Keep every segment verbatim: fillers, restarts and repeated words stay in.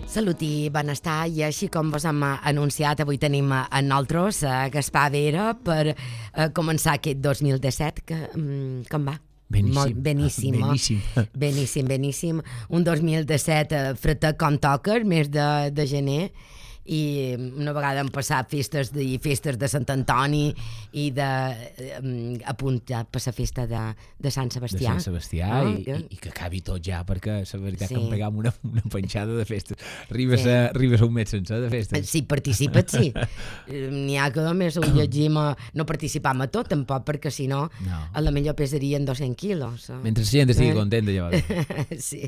Salut i benestar, i així com vos hem anunciat, avui tenim a nosaltres a Gaspar Vera per uh, començar aquest dos mil disset, que um, com va? Beníssim. Molt beníssim, beníssim. Oh? beníssim, beníssim. Un dos mil disset uh, fretec com toca, mes de, de gener, i una vegada hem passat festes de, festes de Sant Antoni i de, um, a punt ja per la festa de, de Sant Sebastià. De Sant Sebastià, oh, i, que... i, i que acabi tot ja, perquè la veritat sí. que em pegam una, una penjada de festes. Arribes, sí. a, arribes a un mes sencer de festes. Si participes, sí. N'hi ha que només ho llegim, a, no participam a tot, tampoc, perquè si no, no. a la millor pesarien dos-cents quilos. Oh. Mentre la gent estigui eh? contenta, llavors. Sí.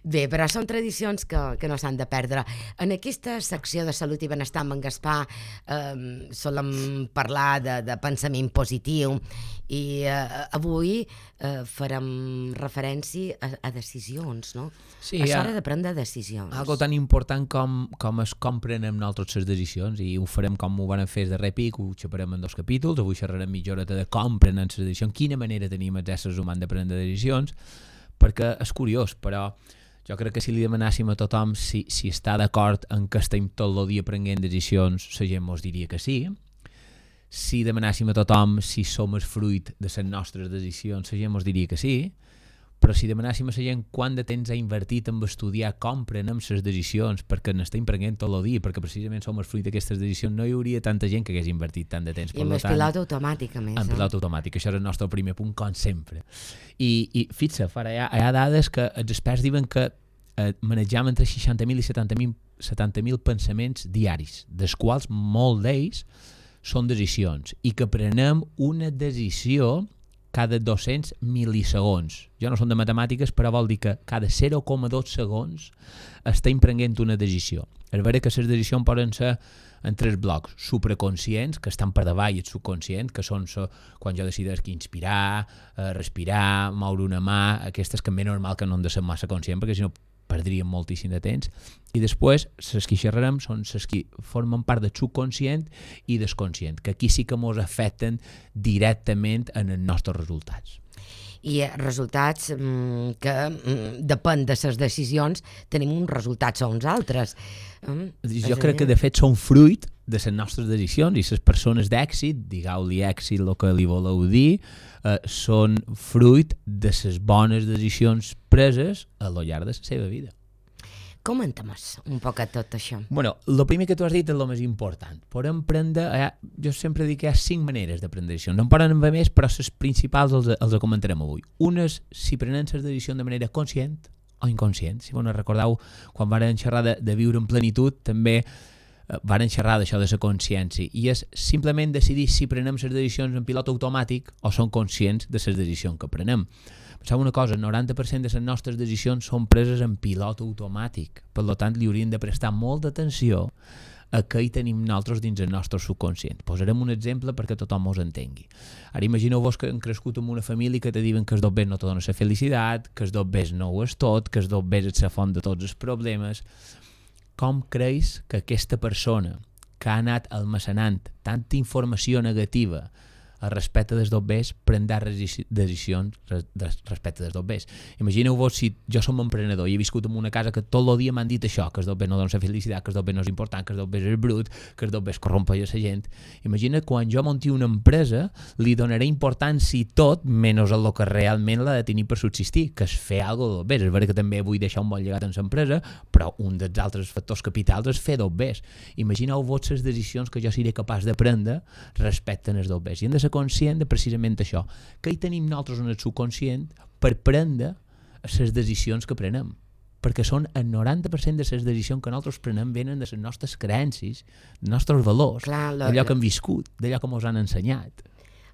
Bé, però són tradicions que, que no s'han de perdre. En aquesta secció de salut i benestar amb en Gaspar eh, solem parlar de, de pensament positiu i eh, avui eh, farem referència a, a decisions, no? Sí, és hora de prendre decisions. Algo tan important com, com es com prenem nosaltres les decisions, i ho farem com ho van fer de repic, ho xaparem en dos capítols. Avui xerrarem mitja horeta de com prenem les decisions, quina manera tenim els éssers humans de prendre decisions, perquè és curiós, però jo crec que si li demanàssim a tothom si, si està d'acord en que estem tot el dia prenent decisions, la gent mos diria que sí. Si demanàssim a tothom si som el fruit de les nostres decisions, la gent mos diria que sí. Però si demanàssim a la gent quant de temps ha invertit en estudiar com prenem les decisions, perquè n'estem prenent tot el dia, perquè precisament som el fruit d'aquestes decisions, no hi hauria tanta gent que hagués invertit tant de temps. I amb el pilot automàtic, a més. En pilot automàtic, això és el nostre primer punt, com sempre. I, i fixa, fara, hi, ha, hi ha dades que els experts diuen que eh, manejam entre seixanta mil i setanta mil pensaments diaris, dels quals molts d'ells són decisions, i que prenem una decisió cada dos-cents milisegons. Jo no som de matemàtiques, però vol dir que cada zero coma dos segons estem prenent una decisió. És vera que les decisions poden ser en tres blocs: supraconscients, que estan per davall, i el subconscient, que són so, quan jo decideix inspirar, eh, respirar, moure una mà, aquestes que és normal que no han de ser massa conscients, perquè si no perdríem moltíssim de temps. I després, les que xerrarem són les que formen part del subconscient i desconscient, que aquí sí que ens afecten directament en els nostres resultats. I resultats mm, que mm, depèn de les decisions, tenim uns resultats o uns altres. Mm, jo crec que de fet són fruit de les nostres decisions, i les persones d'èxit, digueu-li èxit el que li voleu dir, eh, són fruit de les bones decisions preses a lo llarg de la seva vida. Comenta'm-nos un poc a tot això. Bueno, el primer que tu has dit és el més important. Podem prendre, eh, jo sempre dic que hi ha cinc maneres de prendre decisions. No en poden haver més, però les principals els, els comentarem avui. Una és si prenem les decisions de manera conscient o inconscient. Si vos recordeu, quan varen xerrar de, de viure en plenitud, també eh, varen xerrar d'això de la consciència. I és simplement decidir si prenem les decisions en pilot automàtic o són conscients de les decisions que prenem. Penseu una cosa, el noranta per cent de les nostres decisions són preses en pilot automàtic. Per tant, li hauríem de prestar molta atenció a què hi tenim nosaltres dins el nostre subconscient. Posarem un exemple perquè tothom us entengui. Ara imagineu-vos que hem crescut en una família que te diuen que els dobbers no te donen la felicitat, que els dobbers no ho és tot, que els dobbers és la font de tots els problemes. Com creus que aquesta persona que ha anat almacenant tanta informació negativa al respecte dels dobbers prendrà decisions respecte dels dobbers? Imagineu-vos si jo som emprenedor i he viscut en una casa que tot el dia m'han dit això, que els dobbers no donen la felicitat, que els dobbers no és important, que els dobbers és brut, que els dobbers corrompeix la gent. Imagina quan jo monti una empresa, li donaré importància tot menys el que realment l'ha de tenir per subsistir, que és fer alguna cosa de dobbers. És vera que també vull deixar un bon llegat en l'empresa, però un dels altres factors capitals és fer dobbers. Imagineu-vos les decisions que jo seré capaç de prendre respecte als dobbers. I hem de ser conscient de precisament això, que hi tenim nosaltres en el subconscient per prendre les decisions que prenem, perquè són el noranta per cent de les decisions que nosaltres prenem venen de les nostres creences, dels nostres valors, d'allò que hem viscut, d'allò que ens han ensenyat.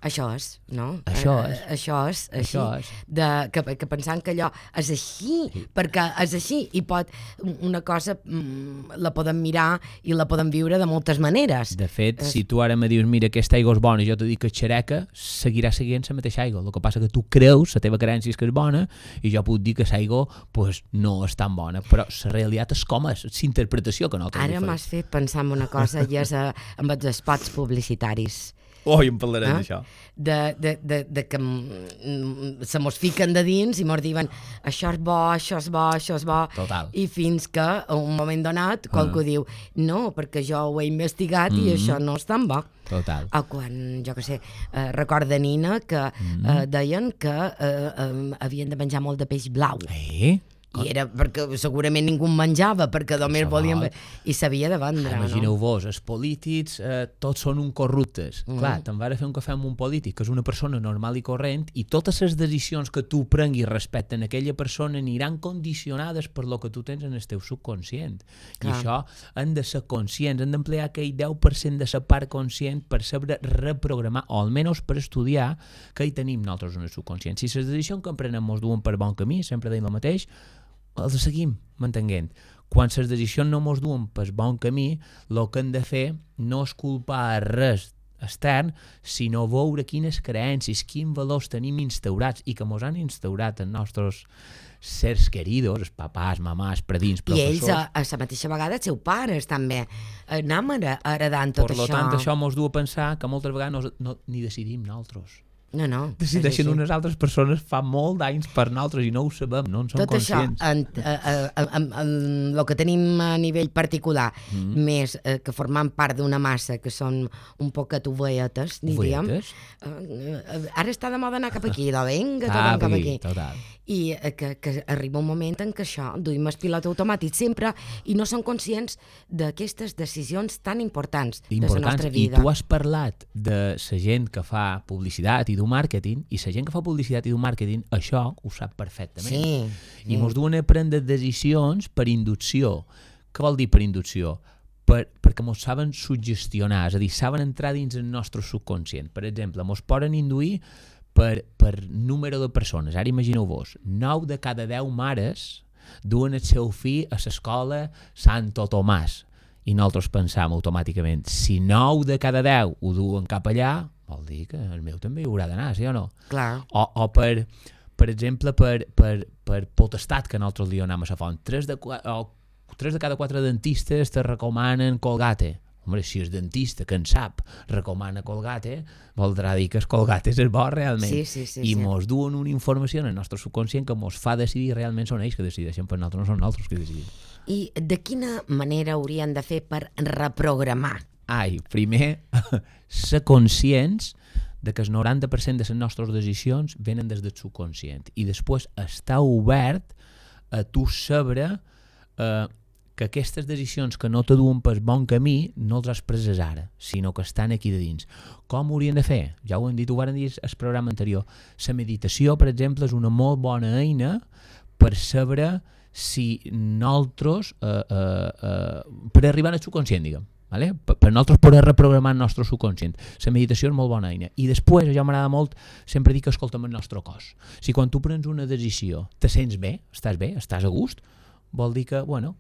Això és, no? Això és. Uh, això és, així, això és. De, que, que pensant que allò és així, sí. perquè és així, i pot, una cosa mm, la podem mirar i la podem viure de moltes maneres. De fet, és... si tu ara me dius, mira, aquesta aigua és bona, i jo te dic que és xereca, seguirà seguint la mateixa aigua. El que passa que tu creus, la teva creença és que és bona, i jo puc dir que l'aigua pues, no és tan bona, però la realitat és com és, és interpretació que nosaltres ara m'has fet pensar en una cosa, i és a, amb els spots publicitaris. Oi, en parlarem eh? d'això. De, de, de, de que mm, se mos fiquen de dins i mos diuen això és bo, això és bo, això és bo. Total. I fins que a un moment donat qualcú Ah. diu no, perquè jo ho he investigat Mm-hmm. i això no és tan bo. Total. O quan, jo què sé, eh, record de nina que Mm-hmm. eh, deien que eh, eh, havien de menjar molt de peix blau. Eh? I era perquè segurament ningú en menjava, perquè només Això volien... vol. I s'havia de vendre, no? Imagineu-vos, els polítics eh, tots són un corruptes. Mm. Clar, te'n vas a fer un cafè amb un polític que és una persona normal i corrent i totes les decisions que tu prenguis respecte a aquella persona aniran condicionades per lo que tu tens en el teu subconscient. Clar. I això hem de ser conscients, hem d'emplear aquell deu per cent de la part conscient per saber reprogramar, o almenys per estudiar què hi tenim nosaltres en el subconscient. Si les decisions que emprenem ens duen per bon camí, sempre deim el mateix, els seguim mantenint. Quan les decisions no mos duen pel bon camí, el que hem de fer no és culpar res extern, sinó veure quines creences, quins valors tenim instaurats i que mos han instaurat els nostres sers queridos, els papàs, mamàs, predins, I ells, professors. a, a la mateixa vegada, els seus pares també anem ara- heredant tot Per lo això. tant, això mos du a pensar que moltes vegades no, no, ni decidim nosaltres. No, no. Decideixen és així. unes altres persones fa molt d'anys per nosaltres i no ho sabem, no en som Tot conscients. això, en, en, en, en, en el que tenim a nivell particular, mm. més eh, que formant part d'una massa que són un poquet oveietes, diríem. Oveietes? Eh, eh, ara està de moda anar cap aquí, de vinga, tot Ah, cap sí, aquí. total. I eh, que, que arriba un moment en què això, duim el pilot automàtic sempre i no són conscients d'aquestes decisions tan importants de la Importants. nostra I vida. tu has parlat de la gent que fa publicitat i du màrqueting, i la gent que fa publicitat i du màrqueting, això ho sap perfectament. Sí. I mos duen a prendre decisions per inducció. Què vol dir per inducció? Per, perquè mos saben suggestionar, és a dir, saben entrar dins el nostre subconscient. Per exemple, mos poden induir per, per número de persones. Ara imagineu-vos, nou de cada deu mares duen el seu fill a l'escola Santo Tomàs. I nosaltres pensam automàticament, si nou de cada deu ho duen cap allà, vol dir que el meu també hi haurà d'anar, sí o no? Clar. O, o per, per exemple, per, per, per potestat, que nosaltres li donem a la font. Tres de, qua- o, tres de cada quatre dentistes te recomanen Colgate. Home, si és dentista que en sap recomana Colgate, voldrà dir que el Colgate és el bo realment. Sí, sí, sí, I sí. mos duen una informació en el nostre subconscient que mos fa decidir realment són ells que decideixen per nosaltres, no són nosaltres que decidim. I de quina manera haurien de fer per reprogramar? Ai, primer, ser conscients de que el noranta per cent de les nostres decisions venen des del subconscient i després estar obert a tu saber eh, que aquestes decisions que no te duen pel bon camí no els has preses ara, sinó que estan aquí de dins. Com ho haurien de fer? Ja ho hem dit, ho vam dir al programa anterior. La meditació, per exemple, és una molt bona eina per saber si nosaltres, eh, eh, eh, per arribar al subconscient, diguem, vale? per, per nosaltres poder reprogramar el nostre subconscient. La meditació és molt bona eina. I després, això m'agrada molt, sempre dic que escoltem el nostre cos. Si quan tu prens una decisió te sents bé, estàs bé, estàs a gust, vol dir que, bueno,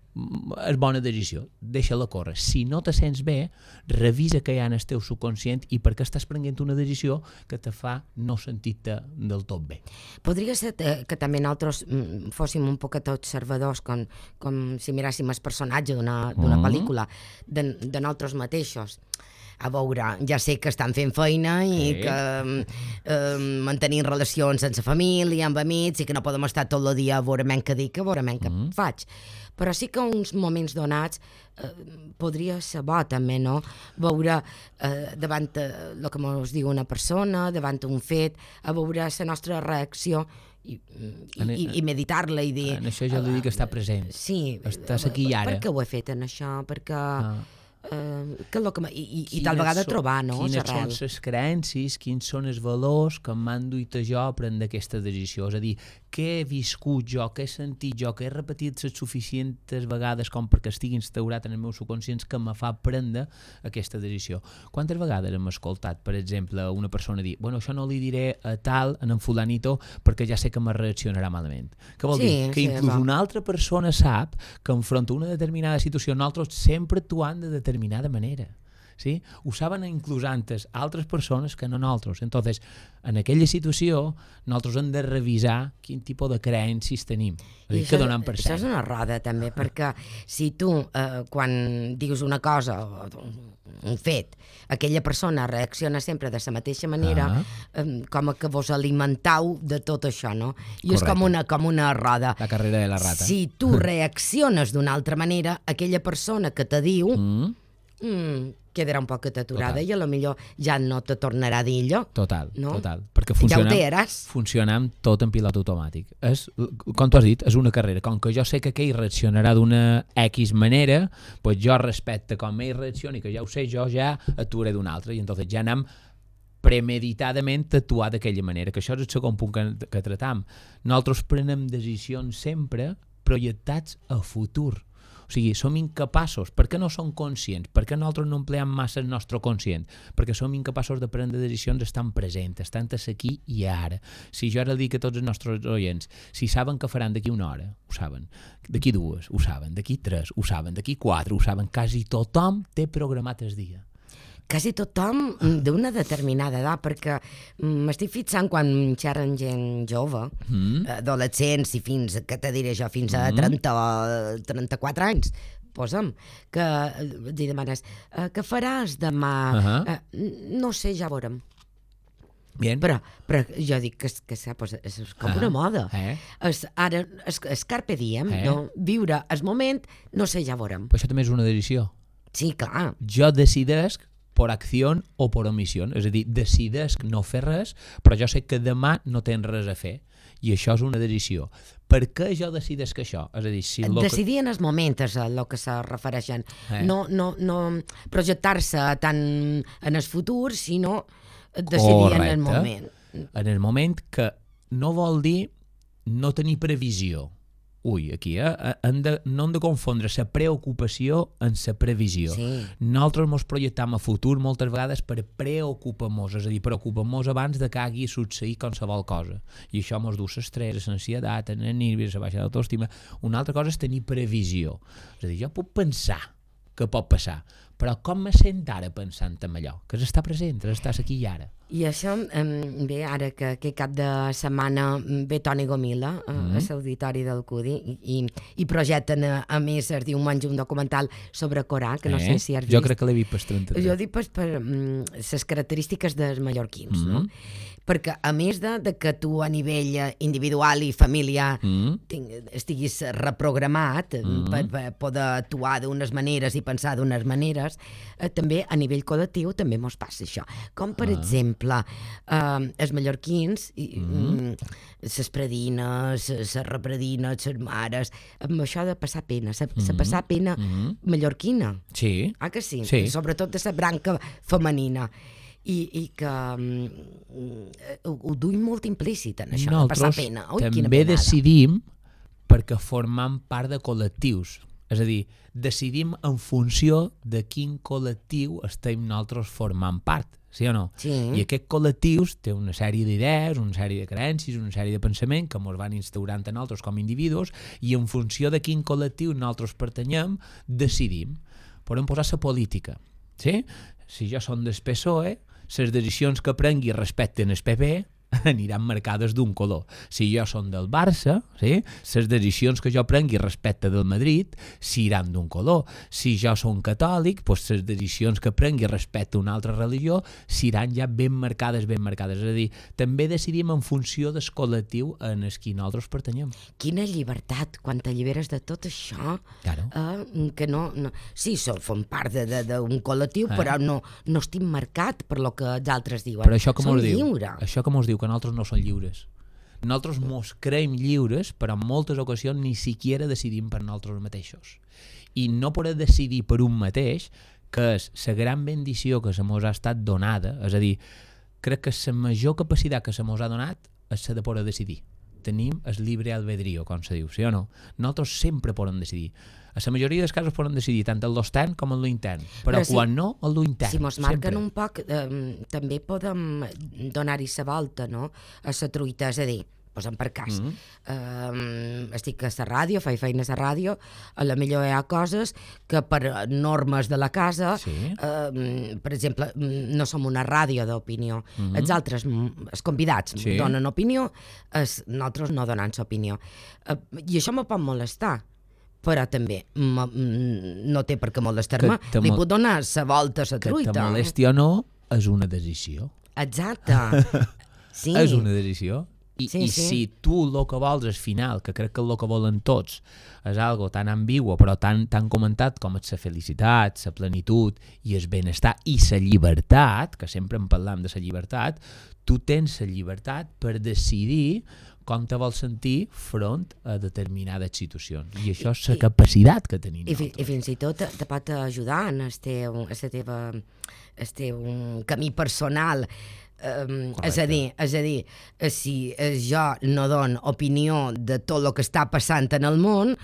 és bona decisió, deixa-la córrer. Si no te sents bé, revisa què hi ha en el teu subconscient i per què estàs prenent una decisió que te fa no sentir-te del tot bé. Podria ser que, que també nosaltres mm, fóssim un poquet observadors, com, com si miràssim el personatge d'una d'una Mm. pel·lícula, de, de nosaltres mateixos. A veure, ja sé que estan fent feina i Sí. que eh, mantenim relacions sense família, amb amics, i que no podem estar tot el dia a veure men què dic, a veure men què Mm. faig. Però sí que uns moments donats eh, podria ser bo també, no? Veure eh, davant eh, el que ens diu una persona, davant un fet, a veure la nostra reacció i, i, En- i, i meditar-la i dir... En això jo li dic estar present. Sí. Estàs aquí i ara. Per què ho he fet en això? Perquè... Ah. Eh, que és lo que m- i, i, i Quines tal vegada són- trobar, no? Quines l'arrel. són les creences, quins són els valors que m'han duit a jo a prendre aquesta decisió. És a dir, què he viscut jo, què he sentit jo, què he repetit les suficients vegades com perquè estigui instaurat en el meu subconscient que me fa prendre aquesta decisió. Quantes vegades hem escoltat, per exemple, una persona dir, bueno, això no li diré a tal, en en fulanito, perquè ja sé que me reaccionarà malament. Què vol Sí, dir? Que sí, inclús va. una altra persona sap que enfront a una determinada situació nosaltres sempre actuant de determinada manera. ¿sí? Ho saben inclús antes altres persones que no nosaltres. Entonces, en aquella situació, nosaltres hem de revisar quin tipus de creences tenim. És dir, que donem per això és una roda, també, perquè si tu, eh, quan dius una cosa, un fet, aquella persona reacciona sempre de la mateixa manera, ah. eh, com que vos alimentau de tot això, no? I Correcte. És com una, com una roda. La carrera de la rata. Si tu reacciones d'una altra manera, aquella persona que te diu mm. Mm, quedarà un poc aturada i a lo millor ja no te tornarà a dir allò. Total, no? total. Perquè funcionem, ja funcionem tot en pilot automàtic. És, com tu has dit, és una carrera. Com que jo sé que aquell reaccionarà d'una X manera, pues jo respecte com ell reaccioni, que ja ho sé, jo ja actuaré d'una altra. I entonces ja anem premeditadament actuar d'aquella manera, que això és el segon punt que, que tratam. Nosaltres prenem decisions sempre projectats a futur. O sigui, som incapaços. Per què no som conscients? Per què nosaltres no empleem massa el nostre conscient? Perquè som incapaços de prendre decisions estan presents, estan aquí i ara. Si jo ara dic a tots els nostres oients, si saben que faran d'aquí una hora, ho saben. D'aquí dues, ho saben. D'aquí tres, ho saben. D'aquí quatre, ho saben. Quasi tothom té programat el dia. Quasi tothom d'una determinada edat, perquè m'estic fixant quan xerren gent jove, mm. adolescents i fins, que te diré jo, fins a trenta o trenta-quatre anys, posa'm, que li demanes, què faràs demà? Uh-huh. No sé, ja veurem. Bien. Però, però jo dic que, que pues, és com uh-huh. una moda. Eh? Es, ara, es, es carpe diem, eh? No? Viure el moment, no sé, ja veurem. Però això també és una decisió. Sí, clar. Jo decidesc per acció o per omissió. És a dir, decidesc no fer res, però jo sé que demà no tens res a fer. I això és una decisió. Per què jo decidesc això? És a dir, si decidir que... en el moment és el que se refereixen. Eh. No, no, no projectar-se tant en el futur, sinó decidir Correcte. En el moment. En el moment, que no vol dir no tenir previsió. Ui, aquí, eh? Hem de, no hem de confondre la preocupació amb la previsió. Sí. Nosaltres ens projectam a futur moltes vegades per preocupar-nos, és a dir, preocupar-nos abans de que hagi succeït qualsevol cosa. I això ens du l'estrès, l'ansietat, el nervis, la baixa d'autoestima. Una altra cosa és tenir previsió. És a dir, jo puc pensar que pot passar, però com me sent ara pensant en allò? Que està present, estàs aquí i ara. I això, bé, ara que aquest cap de setmana ve Toni Gomila mm-hmm. a l'auditori del Cudi i, i, i projecten a, a més es diu un menys un documental sobre Corà, que no eh? sé si has vist. Jo crec que l'he vist per trenta-tres. Jo dic per, per les característiques dels mallorquins, mm-hmm. no? Perquè a més de, de que tu a nivell individual i familiar mm-hmm. ting, estiguis reprogramat mm-hmm. per, per poder actuar d'unes maneres i pensar d'unes maneres, eh, també a nivell col·lectiu també mos passa això. Com per ah. exemple, eh, els mallorquins, mm-hmm. les predines, les repredines, les mares, amb això de passar pena, la mm-hmm. passar pena mm-hmm. mallorquina. Sí. Ah, que sí? Sí. Sobretot de la branca femenina. I, i que um, ho, ho duim molt implícit en això, de passar pena. Ui, també decidim perquè formam part de col·lectius. És a dir, decidim en funció de quin col·lectiu estem nosaltres formant part, sí o no? Sí. I aquests col·lectius té una sèrie d'idees, una sèrie de creences, una sèrie de pensament que ens van instaurant a nosaltres com a individus i en funció de quin col·lectiu nosaltres pertanyem, decidim. Podem posar la política, sí? Si jo som del P S O E, les decisions que prengui respecte al P P aniran marcades d'un color. Si jo som del Barça, sí, les decisions que jo prengui respecte del Madrid seran d'un color. Si jo som catòlic, doncs les decisions que prengui respecte a una altra religió seran ja ben marcades, ben marcades. És a dir, també decidim en funció del col·lectiu en el que nosaltres pertanyem. Quina llibertat, quan t'alliberes de tot això, claro. eh, que no, no... Sí, som part d'un col·lectiu, eh. però no, no estic marcat per lo que els altres diuen. Però això que som mos diu, lliure. Això que mos diu que nosaltres no som lliures. Nosaltres mos creiem lliures, però en moltes ocasions ni siquiera decidim per nosaltres mateixos. I no poder decidir per un mateix, que és la gran bendició que se mos ha estat donada, és a dir, crec que la major capacitat que se mos ha donat és la de poder decidir. Tenim el llibre albedrío, com se diu, sí o no? Nosaltres sempre podem decidir. A la majoria dels casos podem decidir tant el l'extern com el l'intern, però, però si, quan no, el l'intern. Si mos marquen sempre. Un poc, eh, també podem donar-hi la volta, no?, a la truita, és a dir, posem per cas, Mm. eh, estic a la ràdio, faig feines a ràdio, a la millor hi ha coses que per normes de la casa, Sí. eh, per exemple, no som una ràdio d'opinió, Mhm. els altres, els convidats, Sí. donen opinió, els, nosaltres no donem l'opinió. Eh, I això me pot molestar, però també ma- no té per què molestar-me, Que te li mol- puc donar la volta a la Que truita. te molesti o no, és una decisió. Exacte. Sí. És una decisió. I, Sí, i sí. si tu el que vols al final, que crec que el que volen tots, és algo tan ambigu però tan, tan comentat com és la felicitat, la plenitud i el benestar i la llibertat, que sempre en parlam de la llibertat, tu tens la llibertat per decidir com te vols sentir front a determinades situacions. I això és la I- capacitat que tenim I, fi, I nosaltres. fins i tot te, te pot ajudar en el teu, en la teva, el teu camí personal. Um, és a dir, és a dir, si jo no dono opinió de tot el que està passant en el món,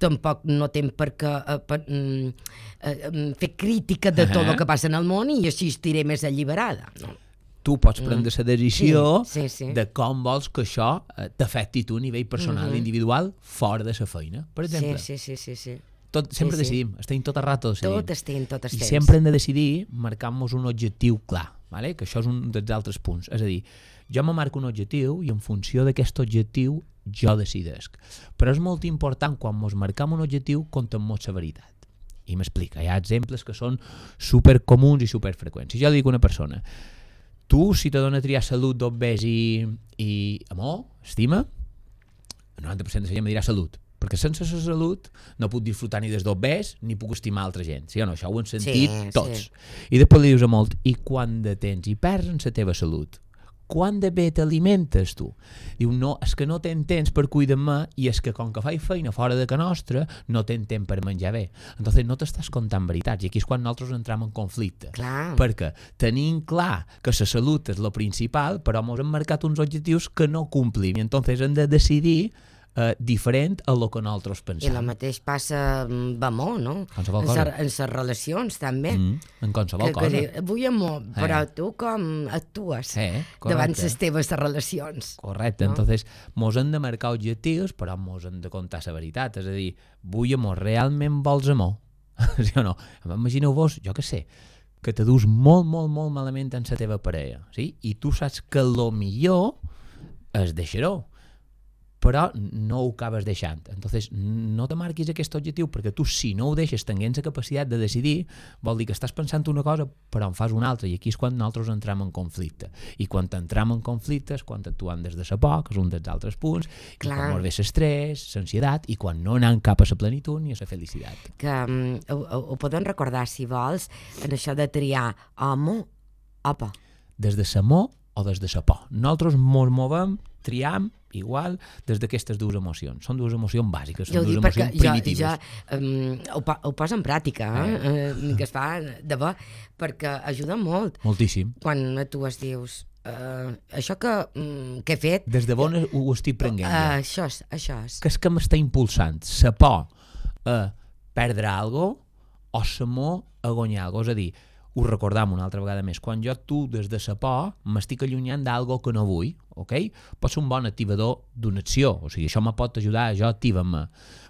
tampoc no tinc per què uh, per, um, uh, fer crítica de tot Uh-huh. el que passa en el món i així estiré més alliberada. No? Tu pots prendre la decisió Sí, sí, sí. de com vols que això eh, t'afecti tu a nivell personal, Mhm. individual, fora de la feina. Per exemple, Sí, sí, sí, sí, sí. tot, sempre sí, sí. decidim, estem tot el rato decidint. Tot estem, tot I estem. sempre hem de decidir marcant-nos un objectiu clar, vale? Que això és un dels altres punts. És a dir, jo me marco un objectiu i en funció d'aquest objectiu jo decidesc. Però és molt important quan ens marcam un objectiu contem-nos la veritat. I m'explica, hi ha exemples que són supercomuns i superfreqüents. Si jo dic a una persona, tu, si te dona a triar salut, d'obès i, i amor, estima, el noranta per cent de la gent me dirà salut, perquè sense la salut no puc disfrutar ni des d'obès ni puc estimar altra gent, sí o no? Això ho hem sentit Sí, tots. sí. I després li dius a molt, i quan de temps i perds en la teva salut? Quan de bé t'alimentes tu? Diu, no, és que no ten temps per cuidar-me i és que com que faig feina fora de ca nostra no ten temps per menjar bé. Entonces no t'estàs contant veritats i aquí és quan nosaltres entrem en conflicte. Clar. Perquè tenim clar que la salut és lo principal, però ens hem marcat uns objectius que no complim i entonces hem de decidir eh, diferent a lo que nosaltres I pensem. el mateix passa amb amor, no? Qualsevol En cosa. sa- En les relacions, també. Mm, en qualsevol que, cosa. que diu, vull amor, però Eh. tu com actues Eh, davant correcte. les teves relacions? Correcte, No? entonces mos hem de marcar objectius, però mos hem de contar la veritat, és a dir, vull amor, realment vols amor? Sí o no? Imagineu-vos, jo què sé, que te dus molt, molt, molt malament en la teva parella, sí? I tu saps que lo millor és deixar-ho, però no ho acabes deixant. Entonces, no te marquis aquest objectiu, perquè tu, si no ho deixes tenint la capacitat de decidir, vol dir que estàs pensant una cosa, però en fas una altra, i aquí és quan nosaltres entrem en conflicte. I quan entrem en conflicte és quan actuem des de la por, que és un dels altres punts, i Clar. quan mos ve l'estrès, l'ansietat, i quan no anem cap a la plenitud ni a la felicitat. Que um, ho, ho, ho podem recordar, si vols, en això de triar amor, opa. Des de l'amor o des de la por. Nosaltres mos movem, triam, igual, des d'aquestes dues emocions. Són dues emocions bàsiques, Jo són ho dic dues perquè emocions jo, primitives. jo um, ho, po- ho poso en pràctica, eh? eh? que es fa de bo, perquè ajuda molt. Moltíssim. Quan tu es dius, uh, això que, um, que he fet, Des de bon ho, ho estic prenent uh, ja. això és, això és. Que és que m'està impulsant la por a perdre alguna cosa o l'amor a guanyar alguna cosa. És a dir, ho recordam una altra vegada més, quan jo tu des de la por m'estic allunyant d'algo que no vull, ok? Pot ser un bon activador d'una acció, o sigui, això me pot ajudar, jo activa-me,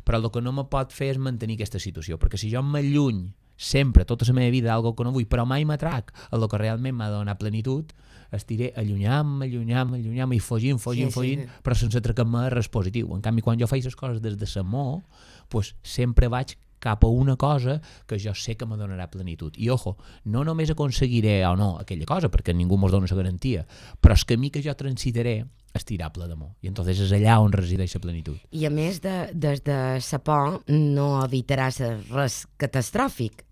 però el que no me pot fer és mantenir aquesta situació, perquè si jo m'alluny sempre, tota la meva vida, d'algo que no vull, però mai m'atrac a lo que realment m'ha de donar plenitud, estiré allunyant-me, allunyant-me, allunyant-me i fugint, fugint, Sí, sí, fugint, sí. però sense atracar-me res positiu. En canvi, quan jo faig les coses des de l'amor, pues, sempre vaig cap a una cosa que jo sé que me donarà plenitud. I, ojo, no només aconseguiré o no aquella cosa, perquè ningú mos dona la garantia, però el camí que jo transitaré és tirar ple d'amor. I entonces és allà on resideix la plenitud. I a més, de, des de sa por no evitaràs res catastròfic.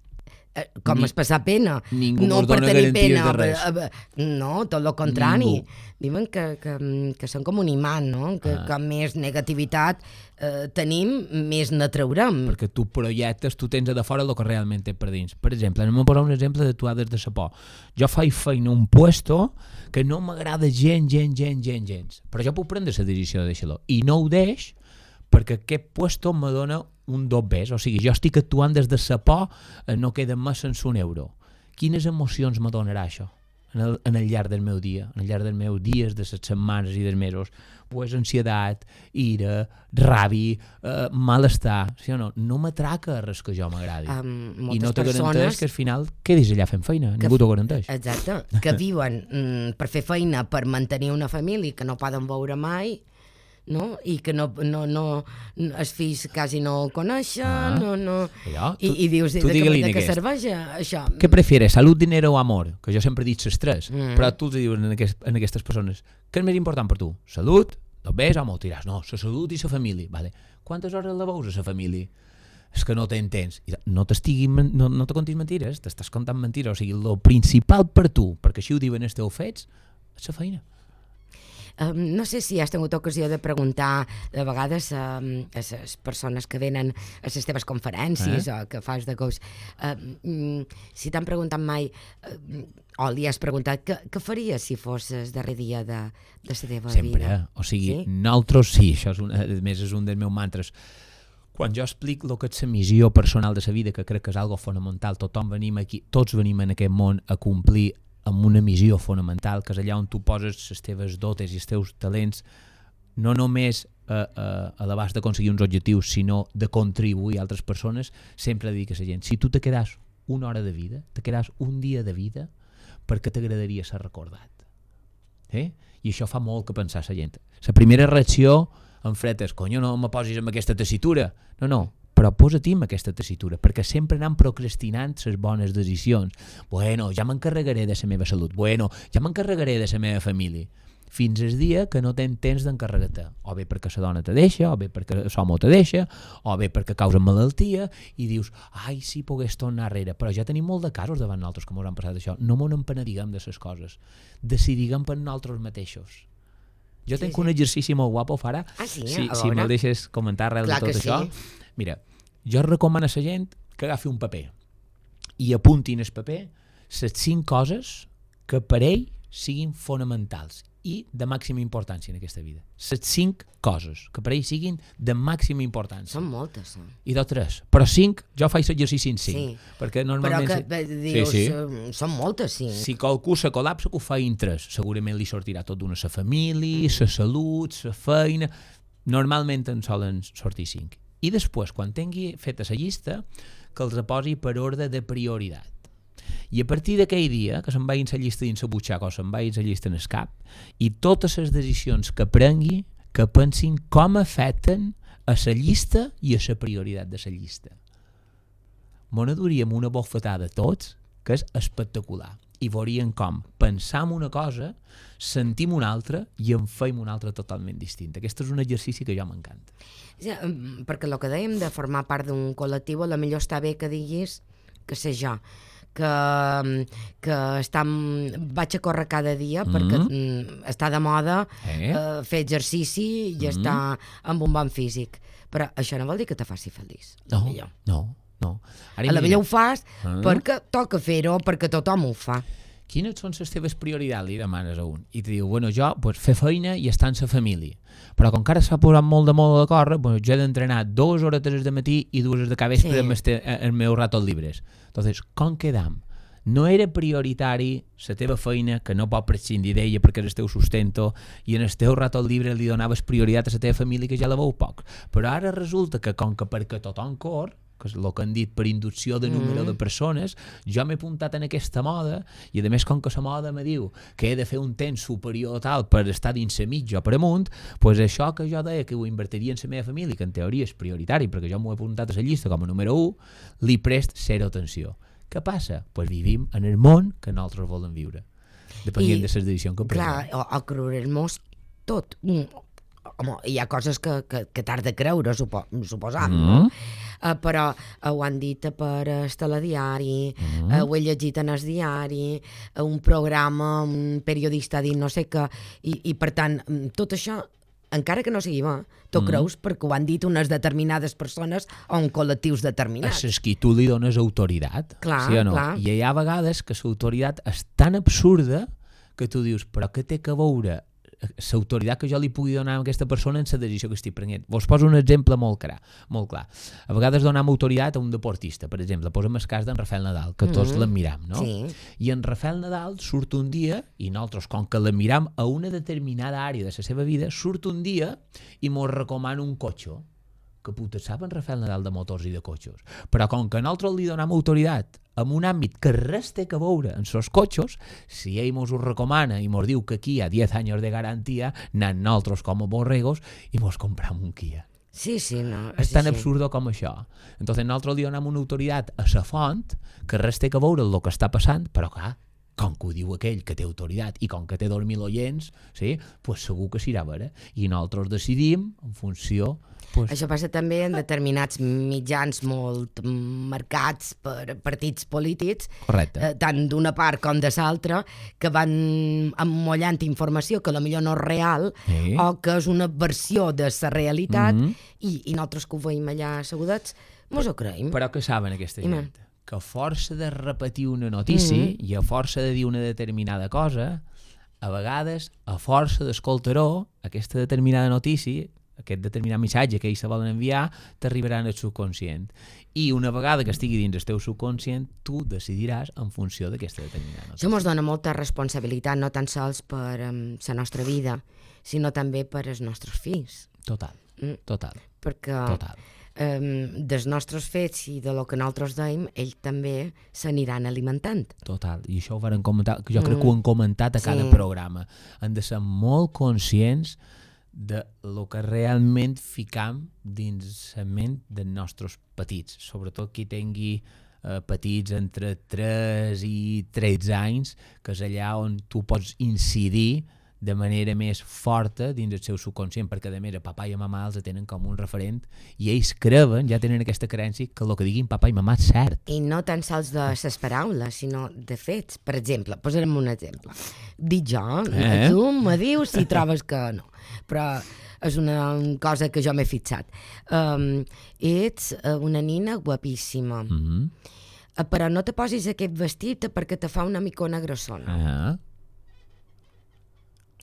Eh, Com Ni- es passar pena. ningú no mos per dona tenir garanties pena. de res. eh, eh, No, tot el contrari. Ningú. Diuen que, que, que són com un imant, no? Que, Ah. que més negativitat eh, tenim, més n'atraurem. Perquè tu projectes, tu tens a de fora el que realment té per dins. Per exemple, anem a posar un exemple d'actuar des de sa por. Jo faig feina a un puesto que no m'agrada gent, gent, gent, gent, gens. Però jo puc prendre la decisió de deixar-lo. I no ho deix perquè aquest puesto me dona un dobbers. O sigui, jo estic actuant des de sa por, eh, no queda més sense un euro. Quines emocions me donarà això? en el, en el llarg del meu dia, en el llarg dels meus dies, de les setmanes i dels mesos, pues ansietat, ira, rabi, eh, malestar, sí o no? No m'atraca res que jo m'agradi. Um, I no te persones... garanteix que al final quedis allà fent feina, que, ningú t'ho garanteix. Exacte, que viuen mm, per fer feina, per mantenir una família que no poden veure mai, no? I que no, no, no, els fills quasi no el coneixen, ah, no, no. Allò, I, tu, i dius, de, de, de què serveix això? Què prefieres, salut, dinero o amor? Que jo sempre he dit les tres, mm. però tu els dius en, aquest, en aquestes persones, què és més important per tu? Salut, dos ves o molt diràs, no, la salut i la família, vale. Quantes hores la veus a la família? És que no t'entens. No t'estiguis, no, no te contis mentires, t'estàs contant mentires, o sigui, el principal per tu, perquè així ho diuen els teus fets, és la feina. Um, no sé si has tingut ocasió de preguntar de vegades um, a les persones que venen a les teves conferències eh? o que fas de coach, um, si t'han preguntat mai um, o li has preguntat què, què faries si fossis darrer dia de, de la teva Sempre, vida? Sempre, o sigui, sí? nosaltres sí, això és un, a més és un dels meus mantres. Quan jo explico el que és la missió personal de la vida, que crec que és algo fonamental, tothom venim aquí, tots venim en aquest món a complir amb una missió fonamental, que és allà on tu poses les teves dotes i els teus talents, no només a, a, a l'abast d'aconseguir uns objectius, sinó de contribuir a altres persones, sempre dic a la gent, si tu te quedas una hora de vida, te quedas un dia de vida, perquè t'agradaria ser recordat. Eh? I això fa molt que pensar a la gent. La primera reacció en fred és, conyo, no me posis amb aquesta tessitura. No, no, però posa-t'hi amb aquesta tessitura, perquè sempre anem procrastinant les bones decisions. Bueno, ja m'encarregaré de la meva salut. Bueno, ja m'encarregaré de la meva família. Fins al dia que no tens temps d'encarregar-te. O bé perquè la dona te deixa, o bé perquè l'home te deixa, o bé perquè causen malaltia, i dius, ai, si pogués tornar arrere. Però ja tenim molt de casos davant nosaltres que ens han passat això. No m'ho empenediguem de les coses. Decidiguem per nosaltres mateixos. Jo sí, tenc sí. un exercici molt guapo, Fara. Ah, sí? Si, si me'l deixes comentar arrel de tot això. Sí. Mira, jo recomano a la gent que agafi un paper i apuntin al paper les cinc coses que per ell siguin fonamentals i de màxima importància en aquesta vida. Les cinc coses que per ell siguin de màxima importància. Són moltes, eh? I de tres. Però cinc, jo faig l'exercici en cinc. Sí. Perquè normalment... Però que si... dius, sí, sí. són moltes, cinc. Si qualcú se col·lapsa, que ho fa en tres. Segurament li sortirà tot d'una, la família, la mm. salut, la feina... Normalment en solen sortir cinc. I després, quan tingui feta la llista, que els reposi per ordre de prioritat. I a partir d'aquell dia, que se'n vagin la llista dins la butxaca o se'n vagin la llista en el cap, i totes les decisions que prengui, que pensin com afecten a la llista i a la prioritat de la llista. M'ho adoríem una bofetada tots, que és espectacular. I veuríem com pensam una cosa, sentim una altra i en feim una altra totalment distinta. Aquest és un exercici que jo m'encanta. Ja, perquè el que dèiem de formar part d'un col·lectiu, a la millor està bé que diguis que sé jo, que, que està, vaig a córrer cada dia mm-hmm. perquè mm, està de moda eh? Eh, fer exercici i mm-hmm. estar amb un bon físic. Però això no vol dir que te faci feliç. No, no. No. Ara a la millor ho fas ah. perquè toca fer-ho, perquè tothom ho fa. Quines són les teves prioritats? Li demanes a un. I te diu, bueno, jo pues, fer feina i estar amb la família. Però com que ara s'ha posat molt de moda de córrer, pues, jo he d'entrenar dues hores de matí i dues de cabespre sí. amb este, els meus ratos llibres. Entonces, com quedam? No era prioritari la teva feina, que no pot prescindir d'ella perquè és el teu sustento, i en el teu ratos llibre li donaves prioritat a la teva família, que ja la veu poc. Però ara resulta que com que perquè tothom cor, que és el que han dit per inducció de número mm. de persones, jo m'he apuntat en aquesta moda, i a més com que la moda me diu que he de fer un temps superior tal per estar dins la mitja o per amunt, doncs això que jo deia que ho invertiria en la meva família, que en teoria és prioritari perquè jo m'ho he apuntat a la llista com a número u, li prest zero atenció. Què passa? Doncs pues vivim en el món que nosaltres volem viure, depenent I, de les decisions que prenem. Clar, o, o creurem-nos tot. Home, hi ha coses que, que, que t'has de creure, supo, suposam, mm. no? Uh, però uh, ho han dit per el telediari, mm. uh, ho he llegit en el diari, uh, un programa, un periodista ha dit no sé què, i, i per tant, tot això, encara que no sigui bo, tu mm. creus perquè ho han dit unes determinades persones o un col·lectius determinats. És que tu li dones autoritat, clar, sí o no? Clar. I hi ha vegades que l'autoritat és tan absurda que tu dius, però què té que veure l'autoritat que jo li pugui donar a aquesta persona en la decisió que estic prenent. Vos poso un exemple molt clar. Molt clar. A vegades donem autoritat a un deportista, per exemple, posem el cas d'en Rafael Nadal, que tots mm-hmm. l'admiram, no? Sí. I en Rafael Nadal surt un dia, i nosaltres, com que l'admiram a una determinada àrea de la seva vida, surt un dia i mos recomana un cotxe. Que puta sap en Rafael Nadal de motors i de cotxes. Però com que nosaltres li donem autoritat en un àmbit que res té que veure en els cotxes, si ell mos ho recomana i mos diu que aquí hi ha diez anys de garantia, anem nosaltres com a borregos i mos compram un Kia. Sí, sí, no. És sí, tan sí. absurdo com això. Entonces nosaltres li donem una autoritat a la font que res té que veure amb el que està passant, però clar, com que ho diu aquell que té autoritat i com que té dos mil oients, sí, pues segur que s'irà a veure. I nosaltres decidim en funció... Pues... Això passa també en determinats mitjans molt marcats per partits polítics, eh, tant d'una part com de l'altra, que van emmollant informació que potser no és real sí. o que és una versió de la realitat mm-hmm. i, i nosaltres que ho veiem allà assegudets, mos ho creiem. Però què saben aquesta I gent? Que a força de repetir una notícia mm-hmm. i a força de dir una determinada cosa, a vegades, a força d'escoltar-ho, aquesta determinada notícia, aquest determinat missatge que ells se volen enviar, t'arribaran al subconscient. I una vegada que estigui dins el teu subconscient, tu decidiràs en funció d'aquesta determinada notícia. Això ens dona molta responsabilitat, no tan sols per um, la nostra vida, sinó també per als nostres fills. Total, mm. total. Perquè total. Um, dels nostres fets i de lo que nosaltres deim, ells també s'aniran alimentant. Total, i això ho varen comentar, que jo crec mm. que ho han comentat a cada sí. programa. Han de ser molt conscients de lo que realment ficam dins la ment dels nostres petits, sobretot qui tingui eh, petits entre tres i tretze anys, que és allà on tu pots incidir de manera més forta dins el seu subconscient, perquè a més a papà i a mamà els tenen com un referent i ells creuen, ja tenen aquesta creença que el que diguin papà i mamà és cert. I no tan sols de les paraules, sinó de fets. Per exemple, posarem un exemple. Dic jo, eh? Tu me dius si trobes que no. Però és una cosa que jo m'he fixat. Um, ets una nina guapíssima, mm-hmm. però no te posis aquest vestit perquè te fa una micona grossona. Ah.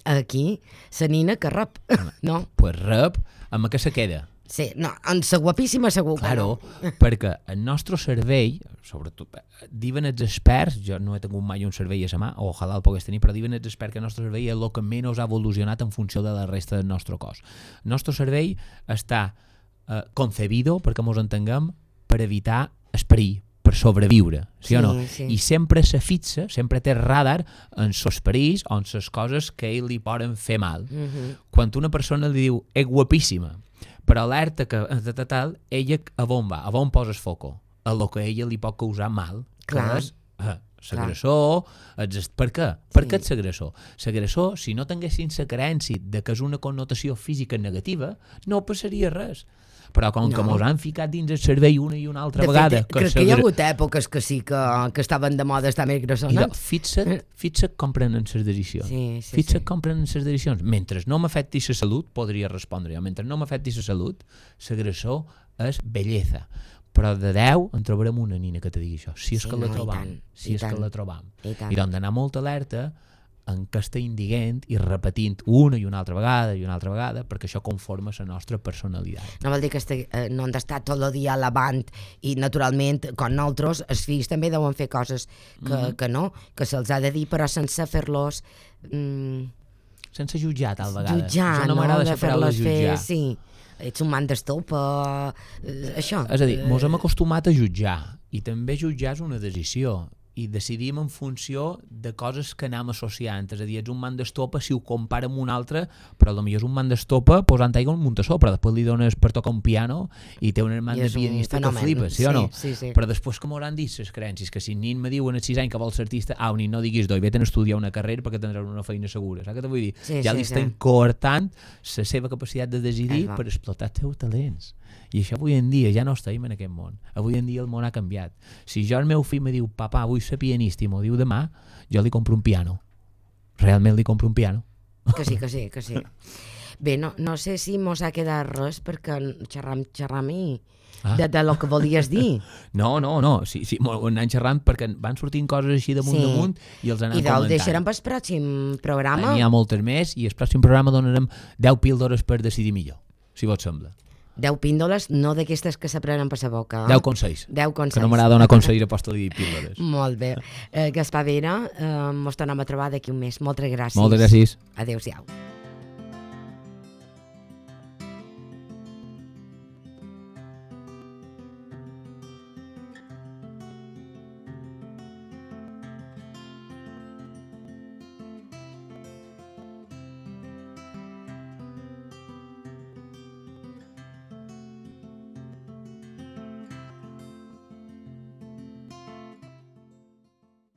Aquí, la nina que rep, no? Pues rep, amb què se queda? Sí, no, en sa guapíssima segur que claro, no. Perquè el nostre cervell, sobretot, diuen els experts, jo no he tingut mai un cervell a la mà, o ojalà el pogués tenir, però diuen els experts que el nostre cervell és el que menys ha evolucionat en funció de la resta del nostre cos. El nostre cervell està eh, concebido, perquè mos entenguem, per evitar el perill, per sobreviure, sí, sí o no? Sí. I sempre se fixa, sempre té radar en els perills o en les coses que ell li poden fer mal. Mm-hmm. Quan una persona li diu, és guapíssima, però alerta que de tal, ella a on va, a on posa el foco, a lo que ella li pot causar mal, clar, que és eh, l'agressor. Per què? Per què és l'agressor? L'agressor, si no tinguessin la creença de que és una connotació física negativa, no passaria res. Però com no. que mos han ficat dins el cervell una i una altra de vegada... Fet, crec que hi ha hagut èpoques que sí que, que estaven de moda estar més grossones. Fixa't, fixa't com prenen les decisions. Sí, sí, fixa't sí. com prenen les decisions. Mentre no m'afecti la salut, podria respondre jo. Mentre no m'afecti la salut, l'agressor és bellesa. Però de deu en trobarem una nina que te digui això. Si és sí, que la no, trobam. Si és tant, que la trobam. I, I doncs d'anar molt alerta en què estem dient i repetint una i una altra vegada i una altra vegada, perquè això conforma la nostra personalitat. No vol dir que este, eh, no han d'estar tot el dia lavant i naturalment, com nosaltres, els fills també deuen fer coses que, mm-hmm. que no, que se'ls ha de dir, però sense fer-los... Mm, sense jutjar tal vegada. Jutjar, no, no? m'agrada De la paraula fer-los jutjar. fer, sí. Ets un man d'estopa, eh, això. És a dir, mos hem acostumat a jutjar i també jutjar és una decisió i decidim en funció de coses que anem associant. És a dir, ets un man d'estopa si ho compara amb un altre, però potser és un man d'estopa posant aigua al muntassó, però després li dones per tocar un piano i té un man de pianista que flipa, sí, sí o no? Sí, sí. Però després que m'hauran dit les creences, que si nin me diuen als sis anys que vols ser artista, au, ni no diguis doi, vete a estudiar una carrera perquè tindràs una feina segura, saps què te vull dir? Sí, ja sí, li estem sí. coartant la seva capacitat de decidir per explotar els teus talents. I això avui en dia ja no estem en aquest món. Avui en dia el món ha canviat. Si jo el meu fill me diu, papà, vull ser pianista, i m'ho diu demà, jo li compro un piano. Realment li compro un piano. Que sí, que sí, que sí. Bé, no, no sé si mos ha quedat res perquè xerram, xerram i, ah. de, de lo que volies dir. No, no, no, sí, sí, ho anem xerrant perquè van sortint coses així damunt sí. damunt i els anem I comentant. I deixarem pel pròxim programa. N'hi ha moltes més i el pròxim programa donarem deu píldores per decidir millor, si vos sembla. deu píndoles, no d'aquestes que s'aprenen per la boca. deu consells. deu consells. Que no m'agrada donar consells a posta de dir píldores. Molt bé. Eh, Gaspar Vera, eh, mos tornem a trobar d'aquí un mes. Moltes gràcies. Moltes gràcies. Adéu-siau.